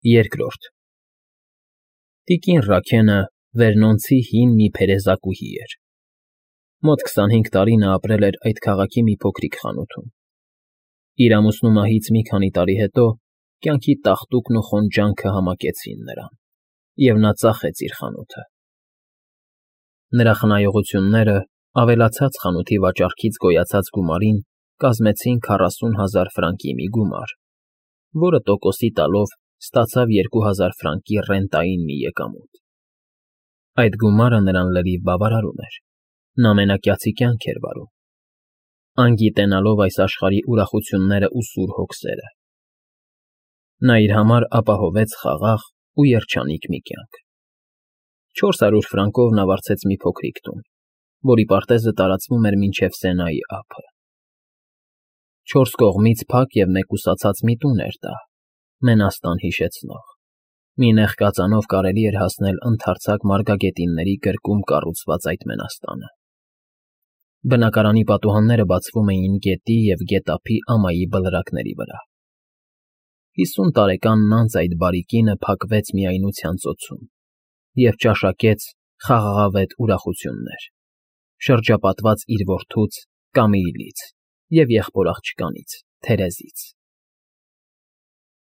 Երկրորդ Տիկին Ռաքենը Վերնոնցի հին մի փերեզակուհի էր։ Մոտ 25 տարի նա ապրել էր այդ քաղաքի մի փոքրիկ խանութում։ Իր ամուսնու մահից մի քանի տարի հետո կյանքի տաղտուկն ու խոնջանքը համակեցին նրան, և նա ծախեց իր խանութը։ Նրա խնայողությունները, ավելացած խանութի վաճառքից գոյացած գումարին, կազմեցին 40,000 ֆրանկի մի գումար, որը տոկոսի տալով ստացավ 2000 ֆրանկի ռենտային մի եկամուտ։ Այդ գումարը նրան լրիվ բավարարում էր, նա մենակյացի կյանք էր վարում, անգիտենալով այս աշխարհի ուրախություններն ու սուր հոգսերը։ Նա իր համար ապահովեց խաղաղ ու երջանիկ մի կյանք։ 400 ֆրանկով նա վարձեց մի փոքրիկ տուն, որի պարտեզը տարածվում էր մինչև Սենայի ափը։ 4 կողմից փակ և մեկուսացած մի տուն էր դա, մենաստան հիշեցնող։ Մի նեղ կածանով կարելի էր հասնել ընդարձակ մարգագետինների գրկում կառուցված այդ մենաստանը։ Բնակարանի պատուհանները բացվում էին գետի և գետափի ամայի բլրակների վրա։ 50 տարեկան անց այդ բարի կինը փակվեց միայնության ծոցում և ճաշակեց խաղաղավետ ուրախություններ, շրջապատված իր որդուց Կամիլից և եղբոր աղջկանից Թերեզից։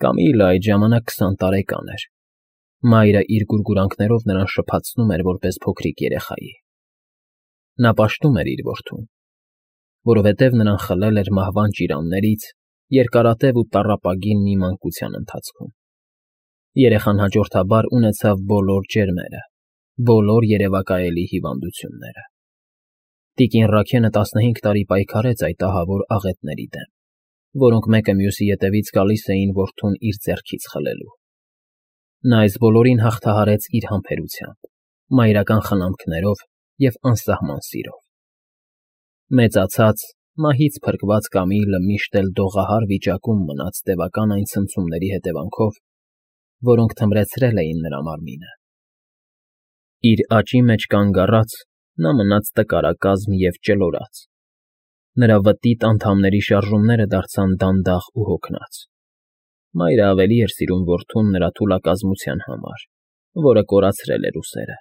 Կամիլը այդ ժամանակ 20 տարեկան էր։ Մայրը իր գուրգուրանքներով նրան շփացնում էր որպես փոքրիկ երեխայի։ Նա պաշտում էր իր որդուն, որովհետև նրան խլել էր մահվան ճիրաններից երկարատև ու տառապագին մի մանկության ընթացքում։ Երեխան հաջորդաբար ունեցավ բոլոր ջերմերը, բոլոր երևակայելի հիվանդությունները։ Տիկին Ռաքենը 15 տարի պայքարեց այդ ահավոր աղետների դեմ, որոնք մեկը մյուսի ետևից գալիս էին որդուն իր ձեռքից խլելու։ Նա այս բոլորին հաղթահարեց իր համբերությամբ, մայրական խնամքներով և անսահման սիրով։ Մեծացած, մահից փրկված Կամիլը միշտ էլ դողահար վիճակում մնաց տևական այն ցնցումների հետևանքով, որոնք թմրեցրել էին նրա մարմինը։ Իր աճի մեջ կանգ առած, նա մնաց տկարակազմ և ճլորած։ Նրա վտիտ անդամների շարժումները դարձան դանդաղ ու հոգնած։ Մայրը ավելի էր սիրում որդուն նրա թուլակազմության համար, որը կորացրել էր ուսերը։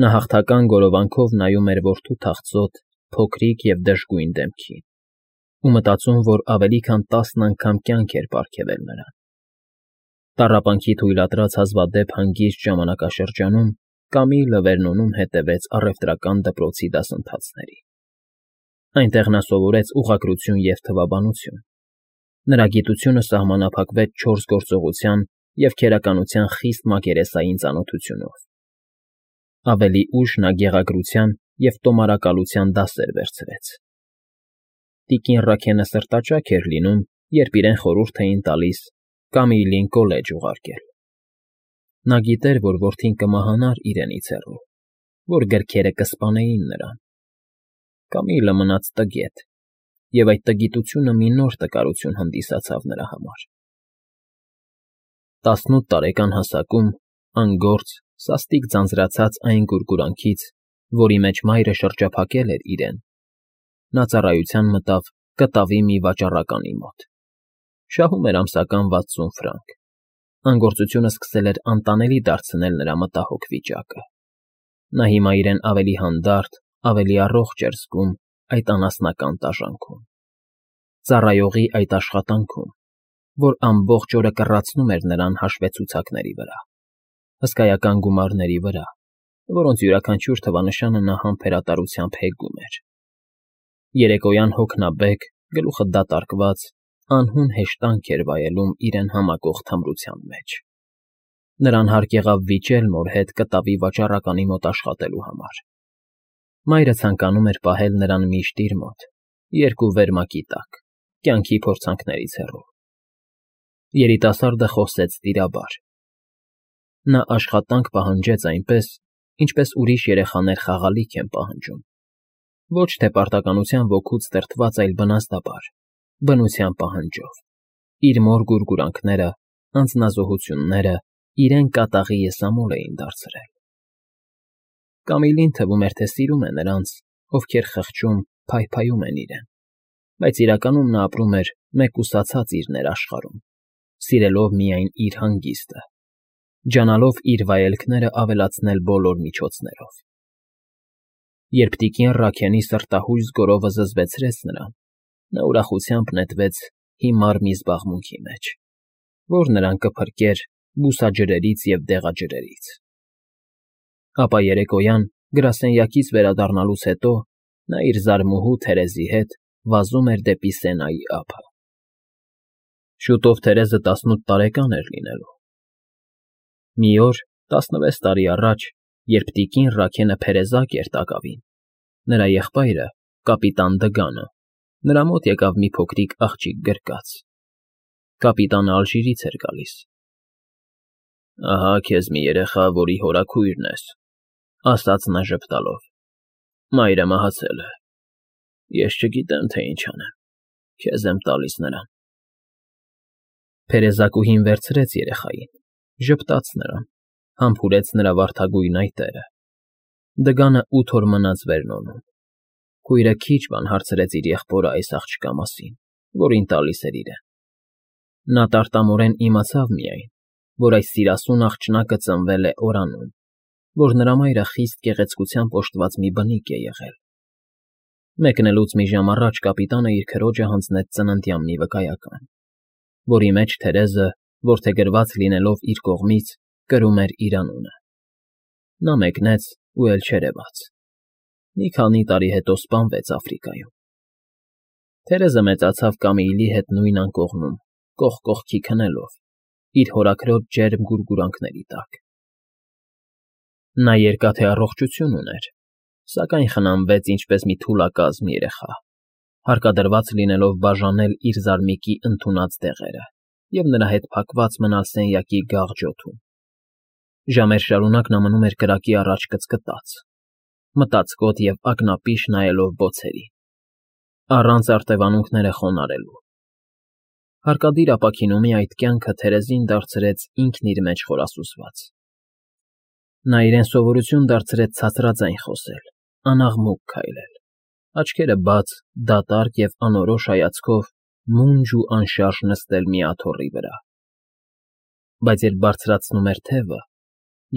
Նա հաղթական գորովանքով նայում էր որդու թախծոտ, փոքրիկ և դժգույն դեմքին ու մտածում, որ ավելի քան 10 անգամ կյանք էր պարգևել նրան։ Տառապանքի թույլատրած հազվադեպ հանգիստ ժամանակաշրջանում Կամիլը Վերնոնում հետևեց առևտրական դպրոցի դասընթացների։ Այնտեղ նա սովորեց ուղղագրություն և թվաբանություն։ Նրա գիտությունը սահմանափակվեց 4 գործողության և քերականության խիստ մակերեսային ծանոթությունով։ Ավելի ուշ նա գեղագրության և տոմարակալության դասեր վերցրեց։ Տիկին Ռաքենը սրտաճաք էր լինում, երբ իրեն խորհուրդ էին տալիս Կամիլին կոլեջ ուղարկել։ Նա գիտեր, որ որդին կմահանար իրենից հեռու, որ գրքերը կսպանեին նրան։ Կամիլը մնաց տգետ, և այդ տգիտությունը մի նոր տկարություն հանդիսացավ նրա համար։ 18 տարեկան հասակում, անգործ, սաստիկ ձանձրացած այն գուրգուրանքից, որի մեջ մայրը շրջափակել էր իրեն, նա ծառայության մտավ կտավի մի վաճառականի մոտ։ Շահում էր ամսական 60 ֆրանկ։ Անգործությունը սկսել էր անտանելի դարձնել նրա մտահոգ վիճակը։ Նա հիմա իրեն ավելի հանդարտ, ավելի առողջ էր զգում այդ անասնական տաժանքում։ Ծառայողի այդ աշխատանքում, որ ամբողջ օրը կռացնում էր նրան հաշվեցուցակների վրա, հսկայական գումարների վրա, որոնց յուրաքանչյուր թվանշանը նա համբերատարությամբ հեգում էր։ Երեկոյան հոգնաբեկ, գլուխը դատարկված, անհուն հեշտանք էր վայելում իրեն համակող թմրության մեջ։ Նրան հարկ եղավ վիճել մոր հետ կտավի վաճառականի մոտ աշխատելու համար։ Մայրը ցանկանում էր պահել նրան միշտ իր մոտ, երկու վերմակի տակ, կյանքի փորձանքներից հեռու։ Երիտասարդը խոսեց տիրաբար։ Նա աշխատանք պահանջեց այնպես, ինչպես ուրիշ երեխաներ խաղալիք են պահանջում։ Ոչ թե պարտականության ոգուց տրտված, այլ բնազդաբար, բնության պահանջով։ Իր մոր գուրգուրանքները, անձնազոհությունները իրեն կատաղի եսամոլ էին դարձրել։ Կամիլին թվում էր, թե սիրում է նրանց, ովքեր խղճում, փայփայում են իրեն, բայց իրականում նա ապրում էր մեկուսացած իր ներաշխարհում, սիրելով միայն իր հանգիստը, ջանալով իր վայելքները ավելացնել բոլոր միջոցներով։ Երբ տիկին Ռաքենի սրտահույս գորովը զզվեցրեց նրան, նա ուրախությամբ նետվեց հիմար մի զբաղմունքի մեջ, որ նրան կփրկեր բուսաջրերից և դեղաջրերից։ Ապա երեկոյան գրասենյակից վերադառնալուց հետո նա իր զարմուհու Թերեզի հետ վազում էր դեպի Սենայի ափը։ Շուտով Թերեզը 18 տարեկան էր լինելու։ Մի օր, 16 տարի առաջ, երբ տիկին Ռաքենը փերեզակ էր տակավին, նրա եղբայրը, կապիտան Դգանը, նրա մոտ եկավ մի փոքրիկ աղջիկ գրկած։ Կապիտանը Ալժիրից էր գալիս։ «Ահա քեզ մի երեխա, որի հորաքույրն ես», ասաց նա ժպտալով։ «Մայրը մահացել է։ Ես չգիտեմ, թե ինչ անեմ, քեզ եմ տալիս նրան»։ Փերեզակուհին վերցրեց երեխային, ժպտաց նրան, համբուրեց նրա վարդագույն այտերը։ Դգանը 8 օր մնաց Վերնոնում։ Քույրը քիչ բան հարցրեց իր եղբորը այս աղջկա մասին, որին տալիս էր իրեն։ Նա տարտամորեն իմացավ միայն, որ այս սիրասուն աղջնակը ծնվել է Օրանում, որ նրա մայրը խիստ գեղեցկությամբ օժտված մի բնիկ է եղել։ Մեկնելուց մի ժամ առաջ կապիտանը իր քրոջը հանձնեց ծննդյան մի վկայական, որի մեջ Թերեզը, որդեգրված լինելով իր կողմից, կրում էր իր անունը։ Նա մեկնեց ու էլ չերևաց։ Մի քանի տարի հետո սպանվեց Աֆրիկայում։ Թերեզը մեծացավ Կամիլի հետ նույն անկողնում, կողք կողքի քնելով, իր հորաքրոջ ջերմ գուրգուրանքների տակ։ Նա երկաթե առողջություն ուներ, սակայն խնամվեց ինչպես մի թուլակազմ երեխա, հարկադրված լինելով բաժանել իր զարմիկի ընդունած դեղերը և նրա հետ փակված մնալ սենյակի գաղ ջոթում։ Ժամեր շարունակ նա մնում էր կրակի առաջ կծկտած, մտածկոտ և ակնապիշ նայելով բոցերին, առանց արտևանունքները խոնարհելու։ Հարկադիր ապաքինումի այդ կյանքը Թերեզին դարձրեց ինքն իր մեջ խորասուզված։ Նա իրեն սովորություն դարձրեց ցածրաձայն խոսել, անաղմուկ քայլել, աչքերը բաց, դատարկ և անորոշ հայացքով մունջ ու անշարժ նստել մի աթոռի վրա։ Բայց երբ բարձրացնում էր թևը,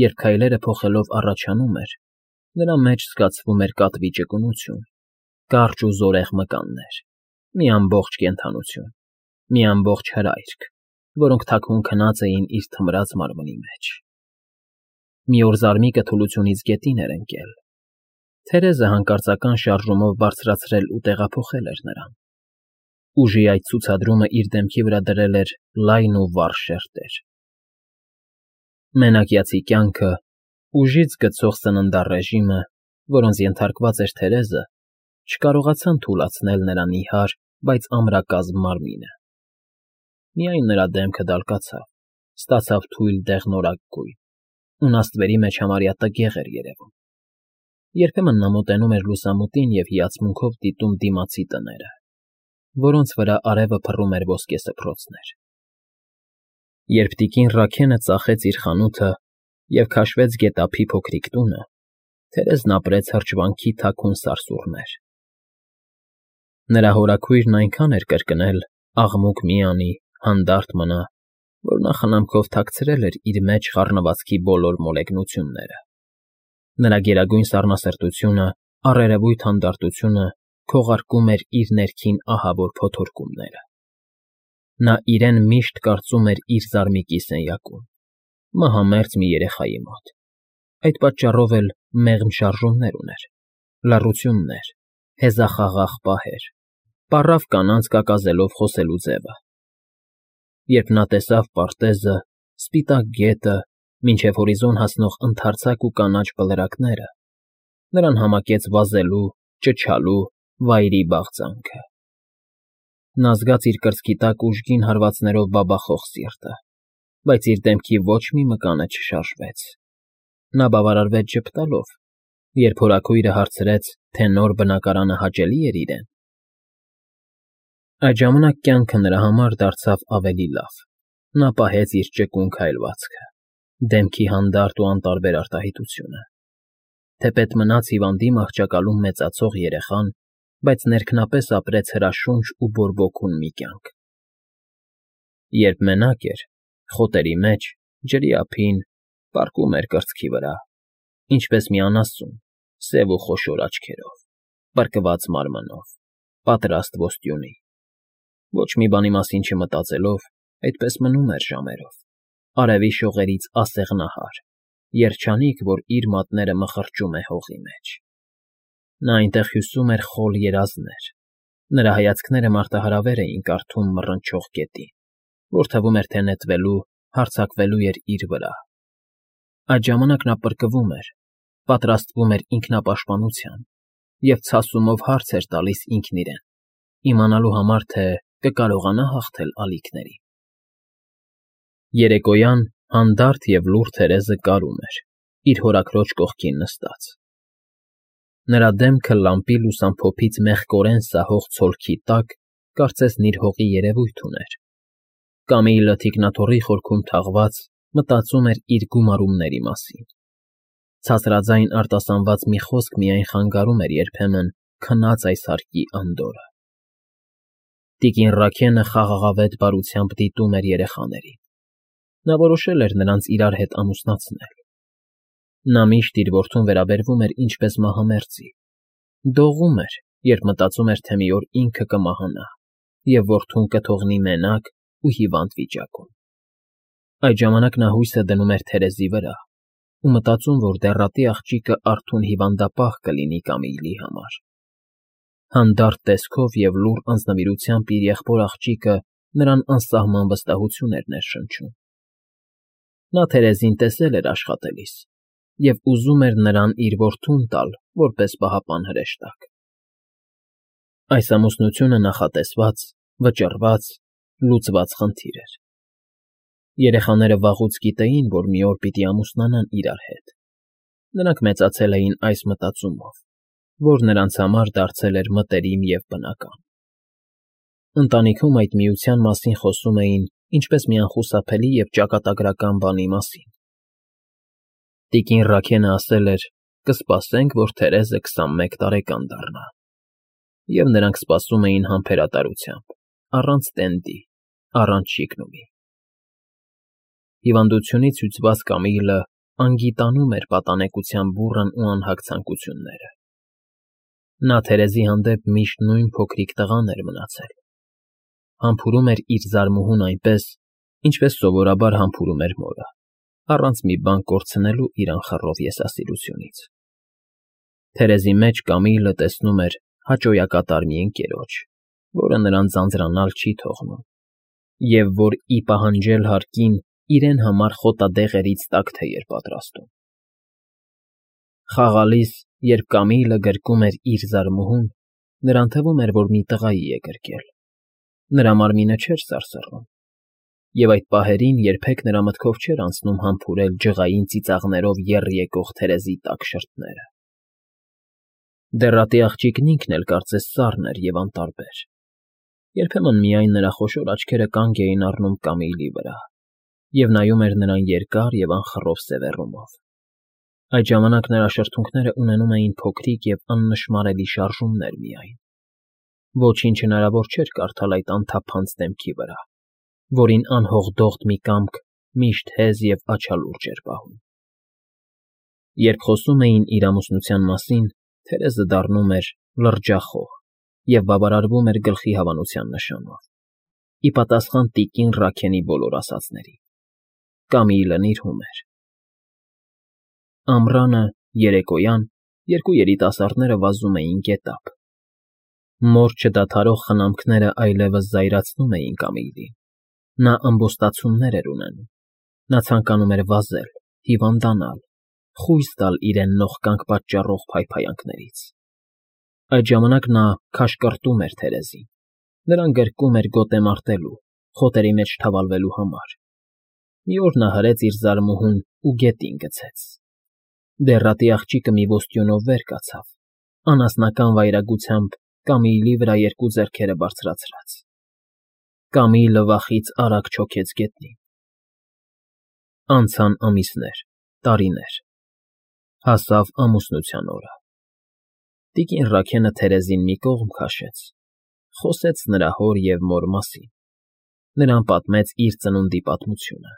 երբ քայլերը փոխելով առաջանում էր, նրա մեջ զգացվում էր կատվի ճկունություն, կարճ ու զորեղ մկաններ, մի ամբողջ կենդանություն, մի ամբողջ հրայք, որոնք թաքուն քնած էին իր թմրած մարմնի մեջ։ Մի օր զարմիկը թուլությունից գետին էր ընկել։ Թերեզը հանկարծական շարժումով բարձրացրել ու տեղափոխել էր նրան։ Ուժի այդ ցուցադրումը իր դեմքի վրա դրել էր լայն ու վառ շերտեր։ Մենակյացի կյանքը, ուժից գցող սննդառեժիմը, որոնց ենթարկված էր Թերեզը, չկարողացան թուլացնել նրա նիհար, բայց ամրակազմ մարմինը։ Միայն նրա դեմքը դալկացավ, ստացավ թույլ դեղնորակ գույն, ունաստվերի մեջ համարյա տգեղ էր երևում։ Երբեմն նա մոտենում էր լուսամուտին և հիացմունքով դիտում դիմացի տները, որոնց վրա արևը փռում էր ոսկե սփռոցներ։ Երբ տիկին Ռաքենը ծախեց իր խանութը և քաշվեց գետափի փոքրիկ տունը, Թերեզն ապրեց հրճվանքի թաքուն սարսուռներ։ Նրա հորաքույրն այնքան էր կրկնել «աղմուկ մի անի, հանդարտ մնա», որ նա խնամքով թաքցրել էր իր մեջ խառնվածքի բոլոր մոլեգնությունները։ Նրա գերագույն սառնասրտությունը, առերևույթ հանդարտությունը քողարկում էր իր ներքին ահավոր փոթորկումները։ Նա իրեն միշտ կարծում էր իր զարմիկի սենյակում, մահամերձ մի երեխայի մոտ։ Այդ պատճառով էլ մեղմ շարժումներ ուներ, լռություններ, հեզախաղաղ պահեր, պառավ կանանց կակազելով խոսելու ձևը։ Երբ նա տեսավ պարտեզը, սպիտակ գետը, մինչև հորիզոն հասնող ընդարձակ ու կանաչ բլրակները, նրան համակեց վազելու, ճչալու, վայրի բաղձանքը։ Նա զգաց իր կրծքի տակ ուժգին հարվածներով բաբախող սիրտը, բայց իր դեմքի ոչ մի մկանը չշարժվեց։ Նա բավարարվեց ժպտալով, երբ հորաքույրը հարցրեց, թե նոր բնակարանը հաճելի էր իրեն։ Այդ ժամանակ կյանքը նրա համար դարձավ ավելի լավ։ Նա պահեց իր ճկուն քայլվածքը, դեմքի հանդարտ ու անտարբեր արտահայտությունը։ Թեպետ մնաց հիվանդի մահճակալում մեծացող երեխան, բայց ներքնապես ապրեց հրաշունչ ու բորբոքուն մի կյանք։ Երբ մենակ էր, խոտերի մեջ, ջրի ափին, պառկում էր կրծքի վրա, ինչպես մի անասուն, սև ու խոշոր աչքերով, պրկված մարմնով, պատրաստ ոստյունի, ոչ մի բանի մասին չմտածելով, այդպես մնում էր ժամերով, արևի շողերից ասեղնահար, երջանիկ, որ իր մատները մխրճում է հողի մեջ։ Նա այնտեղ հյուսում էր խոլ երազներ, նրա հայացքները մարտահրավեր էին կարդում մռնչող գետին, որ թվում էր, թե նետվելու, հարձակվելու էր իր վրա։ Այդ ժամանակ նա պրկվում էր, պատրաստվում էր ինքնապաշտպանության և ցասումով հարց էր տալիս ինքն իրեն, իմանալու համար, թե կկարողանա հաղթել ալիքներին։ Երեկոյան հանդարտ և լուռ Թերեզը կարում էր, իր հորաքրոջ կողքին նստած։ Նրա դեմքը լամպի լուսամփոփից մեղկորեն սահող ցոլքի տակ կարծես նիրհողի երևույթ ուներ։ Կամիլը թիկնաթոռի խորքում թաղված մտածում էր իր գումարումների մասին։ Ցածրաձայն արտասանված մի խոսք միայն խանգարում էր երբեմն քնած այս հարկի անդորրը։ Տիկին Ռաքենը խաղաղավետ բարությամբ դիտում էր երեխաներին։ Նա որոշել էր նրանց իրար հետ ամուսնացնել։ Նա միշտ իր որդուն վերաբերվում էր ինչպես մահամերձի, դողում էր, երբ մտածում էր, թե մի օր ինքը կմահանա, և որդուն կթողնի մենակ ու հիվանդ վիճակում։ Այդ ժամանակ նա հույսը դնում էր Թերեզի վրա ու մտածում, որ դեռատի աղջիկը արթուն հիվանդապահ կլինի Կամիլի համար։ Հանդարտ տեսքով և լուռ անձնվիրությամբ իր եղբոր աղջիկը նրան անսահման վստահություն էր ներշնչում։ Նա Թերեզին տեսել էր աշխատելիս և ուզում էր նրան իր որդուն տալ որպես պահապան հրեշտակ։ Այս ամուսնությունը նախատեսված, վճռված, լուծված խնդիր էր։ Երեխաները վաղուց գիտեին, որ մի օր պիտի ամուսնանան իրար հետ։ Նրանք մեծացել էին այս մտածումով, որ նրանց համար դարձել էր մտերիմ և բնական։ Ընտանիքում այդ միության մասին խոսում էին ինչպես մի անխուսափելի և ճակատագրական բանի մասին։ Տիկին Ռաքենը ասել էր. «Կսպասենք, որ Թերեզը 21 տարեկան դառնա»։ Եվ նրանք սպասում էին համբերատարությամբ, առանց տենդի, առանց շիկնուղի։ Հիվանդությունից հյուծված Կամիլը անգիտանում էր պատանեկության բուռն ու անհագ ցանկությունները։ Նա Թերեզի հանդեպ միշտ նույն փոքրիկ տղան էր մնացել։ Համբուրում էր իր զարմուհուն այնպես, ինչպես սովորաբար համբուրում էր մորը, առանց մի բան կորցնելու իր անխռով եսասիրությունից։ Թերեզի մեջ Կամիլը տեսնում էր հաճոյակատար մի ընկերոջ, որը նրան ձանձրանալ չի թողնում, և որ ի պահանջել հարկին իրեն համար խոտադեղերից տաք էր պատրաստում։ Խաղալիս, երբ Կամիլը գրկում էր իր զարմուհուն, նրան թվում էր, որ մի տղայի է գրկել։ Նրա մարմինը չէր սարսռում, և այդ պահերին երբեք նրա մտքով չէր անցնում համբուրել ջղային ծիծաղներով եռ եկող Թերեզի տաք շրթները։ Դեռատի աղջիկն ինքն էլ կարծես սառն էր և անտարբեր։ Երբեմն միայն նրա խոշոր աչքերը կանգ էին առնում Կամիլի վրա և նայում էր նրան երկար և անխռով սևեռումով։ Այդ ժամանակ նրա շրթունքները ունենում էին փոքրիկ և աննշմարելի շարժումներ միայն։ Ոչինչ հնարավոր չէր կարդալ այդ անթափանց դեմքի վրա, որին անհողդողդ մի կամք միշտ հեզ և աչալուրջ էր պահում։ Երբ խոսում էին իր ամուսնության մասին, Թերեզը դառնում էր լրջախոհ և բավարարվում էր գլխի հավանության նշանով, ի պատասխան տիկին Ռաքենի բոլոր ասածների։ Կամիլը նիրհում էր։ Ամռանը, երեկոյան երկու երիտասարդները վազում էին գետափ։ Մոր չդադարող խնամքները այլևս զայրացնում էին Կամիլին։ Նա ամբոստացումներ էր ունենում։ Նա ցանկանում էր վազել, հիվանդանալ, խույս տալ իրեն նողկանք պատճառող փայփայանքներից։ Այդ ժամանակ նա քաշկռտում էր Թերեզին, նրան գրկում էր գոտեմարտելու, խոտերի մեջ թավալվելու համար։ Մի օր նա հրեց իր զարմուհուն ու գետին գցեց։ Դեռատի աղջիկը մի ոստյունով վեր կացավ, անասնական վայրագությամբ Կամիլի վրա երկու ձեռքերը բարձրացրած։ Կամիլը վախից արագ չոքեց գետնին։ Անցան ամիսներ, տարիներ։ Հասավ ամուսնության օրը։ Տիկին Ռաքենը Թերեզին մի կողմ քաշեց, խոսեց նրա հոր և մոր մասին։ նրան պատմեց իր ծնունդի պատմությունը։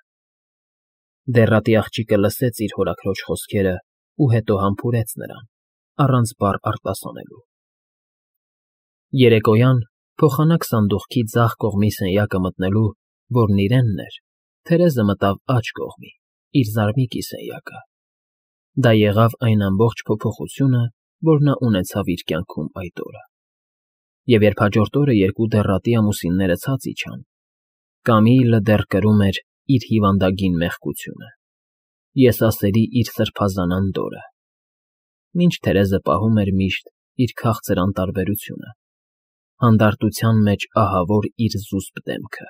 Դեռատի աղջիկը լսեց իր հորաքրոջ խոսքերն ու հետո համբուրեց նրան, առանց բառ արտասանելու։ Երեկոյան, փոխանակ սանդուղքի ձախ կողմի սենյակը մտնելու, որն իրենն էր, Թերեզը մտավ աջ կողմի, իր զարմիկի սենյակը։ Դա եղավ այն ամբողջ փոփոխությունը, որ նա ունեցավ իր կյանքում այդ օրը։ Եվ երբ հաջորդ օրը երկու դեռատի ամուսինները ցած իջան, Կամիլը դեռ կրում էր իր հիվանդագին մեղքությունը, եսասերի իր սրբազան դորը, մինչ Թերեզը պահում էր միշտ իր քաղցր անտարբերությունը, հանդարտության մեջ ահավոր իր զուսպ դեմքը։